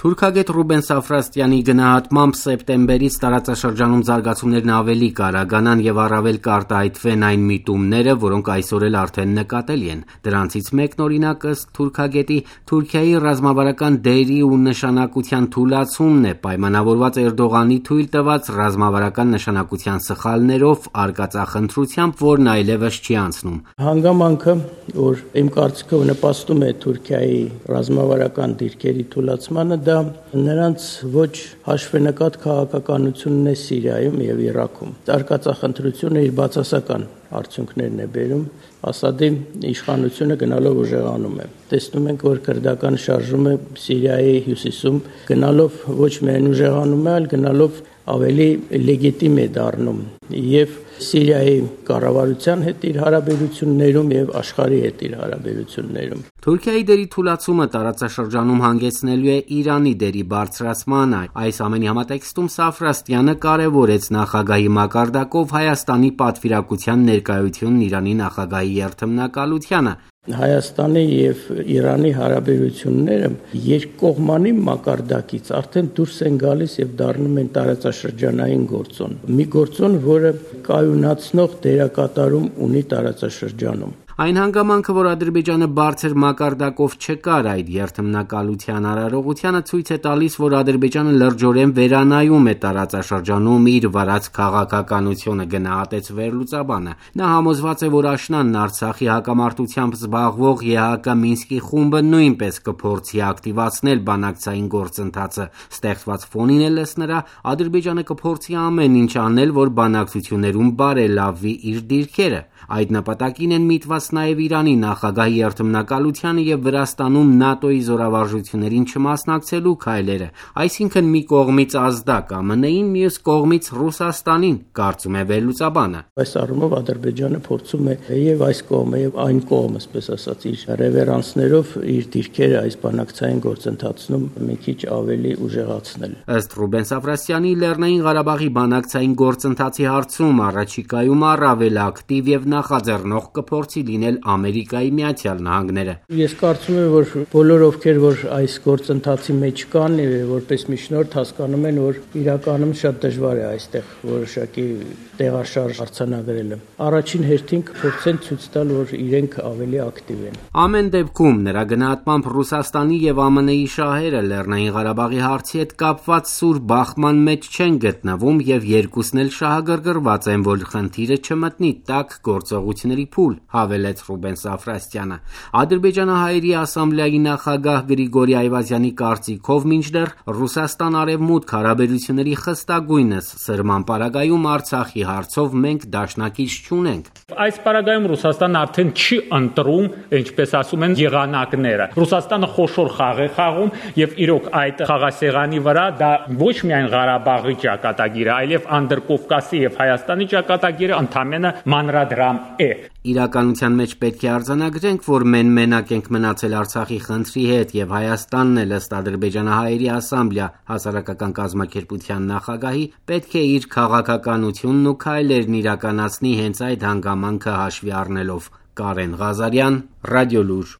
Թուրքագետ Ռուբեն Սաֆրաստյանի գնահատմամբ սեպտեմբերից տարածաշրջանում զարգացումներն ավելի կարագանան եւ առավել կարտահայտվեն այն միտումները, որոնք այսօր էլ արդեն նկատելի են։ Դրանցից մեկն օրինակ ըստ թուրքագետի Թուրքիայի ռազմավարական դերի ու նշանակության թուլացումն է, պայմանավորված Էրդողանի թույլ տված ռազմավարական նշանակության սխալներով արկածախնդրությամբ, որն այլևս չի անցնում։ Հանգամանքը, որ իմ կարծիքով նպաստում է Թուրքիայի ռազմավարական դիրքերի թուլացմանը, դա նրանց ոչ հաշվենկատ քաղաքականությունն է Սիրիայում եւ Իրաքում։ Արկածախնդրությունը իր բացասական արդյունքներն է բերում, Ասադի իշխանությունը գնալով ուժեղանում է։ Տեսնում ենք, որ քրդական շարժումը Սիրիայի հյուսիսում գնալով ոչ միայն ուժեղանում է, այլ գնալով ավելի լեգիտիմ է դառնում եւ Սիրիայի կառավարության հետ իր հարաբերություններում եւ աշխարհի հետ իր հարաբերություններում։ Թուրքիայի դերի թուլացումը տարածաշրջանում հանգեցնելու է Իրանի դերի բարձրացմանը։ Այս ամենի համատեքստում Սաֆրաստյանը կարևորեց նախագահի մակարդակով Հայաստանի պատվիրակության ներկայությունն Իրանի նախագահի երթմնակալությանը։ Հայաստանի եւ Իրանի հարաբերությունները երկկողմանի մակարդակից արդեն դուրս են գալիս եւ դառնում են տարածաշրջանային գործոն։ Մի գործոն, որը կայունացնող դերակատարում ունի տարածաշրջանում։ Այն հանգամանքը, որ Ադրբեջանը բարձր մակարդակով չկար այդ երթմնակալության արարողությանը, ցույց է տալիս, որ Ադրբեջանը լրջորեն վերանայում է տարածաշրջանում իր վարած քաղաքականությունը, գնահատեց վերլուծաբանը։ Նա համոզված է, որ աշնանն Արցախի հակամարտությամբ զբաղվող ԵՀԿ Մինսկի խումբը նույնպես կփորձի ակտիվացնել բանակցային գործընթացը։ Ստեղծված ֆոնին էլ ըստ նրա Ադրբեջանը կփորձի ամեն ինչ անել, որ բանակցություններում բարելավի իր դիրքերը։ Այդ նպատակին են միտված նաև Իրանի նախագահի երթմնակալությանը եւ Վրաստանում ՆԱՏՕ-ի զորավարժություններին չմասնակցելու քայլերը, այսինքն մի կողմից ազդակ ԱՄՆ-ին, մյուս կողմից Ռուսաստանին, կարծում է վերլուծաբանը։ Այս առումով Ադրբեջանը փորձում է եւ այս կողմը եւ այն կողմը, այսպես ասած, իր ռևերանսներով իր դիրքերը այս բանակցային գործընթացում մի քիչ ավելի ուժեղացնել։ Ըստ Ռուբեն Սաֆրաստյանի, Լեռնային Ղարաբաղի բանակցային գործընթացի հարցում առաջիկայում առավել ակտիվ եւ նախաձեռնող կփորձի լինել Ամերիկայի Միացյալ Նահանգները։ Ես կարծում եմ, որ բոլոր ովքեր որ այս գործընթացի մեջ կան, որպես միջնորդ հասկանում են, որ իրականում շատ դժվար է այստեղ որոշակի տեղաշարժ արձանագրելը։ Առաջին հերթին կփորձեն ցույց տալ, որ իրենք ավելի ակտիվ են։ Ամեն դեպքում նրա գնահատմամբ Ռուսաստանի եւ ԱՄՆ-ի շահերը Լեռնային Ղարաբաղի հարցի հետ կապված սուր բախման մեջ չեն գտնվում եւ երկուսն էլ շահագրգռված են, որ խնդիրը չմտնի տաք գործողությունների փուլ, հավելեց Ռուբեն Սաֆրաստյանը։ Ադրբեջանահայերի ասամբլեայի նախագահ Գրիգորի Այվազյանի կարծիքով մինչդեռ Ռուսաստան-Արևմուտք հարաբերությունների խստագույնս սրման պարագայում Արցախի հարցով մենք դաշնակից չունենք։ Այս պարագայում Ռուսաստանն արդեն չի ընտրում, ինչպես ասում են, եղանակները։ Ռուսաստանը խոշոր խաղ է խաղում եւ իրոք այդ խաղասեղանի վրա դա ոչ միայն Ղարաբաղի ճակատագիրը, այլև Անդրկովկասի եւ Հայաստանի ճակատագիրը ընդամենը մանրադրամ է։ Իրականության մեջ պետք է արձանագրենք, որ մենակ ենք մնացել Արցախի խնդրի հետ եւ Հայաստանն էլ ըստ Ադրբեջանահայերի ասամբլեա հասարակական կազմակերպության նախագահի պետք է իր քաղաքականությունն ու քայլերն իրականացնի հենց այդ հանգամանքը հաշվի առնելով։ Կարեն Ղազարյան, Ռադիոլուր։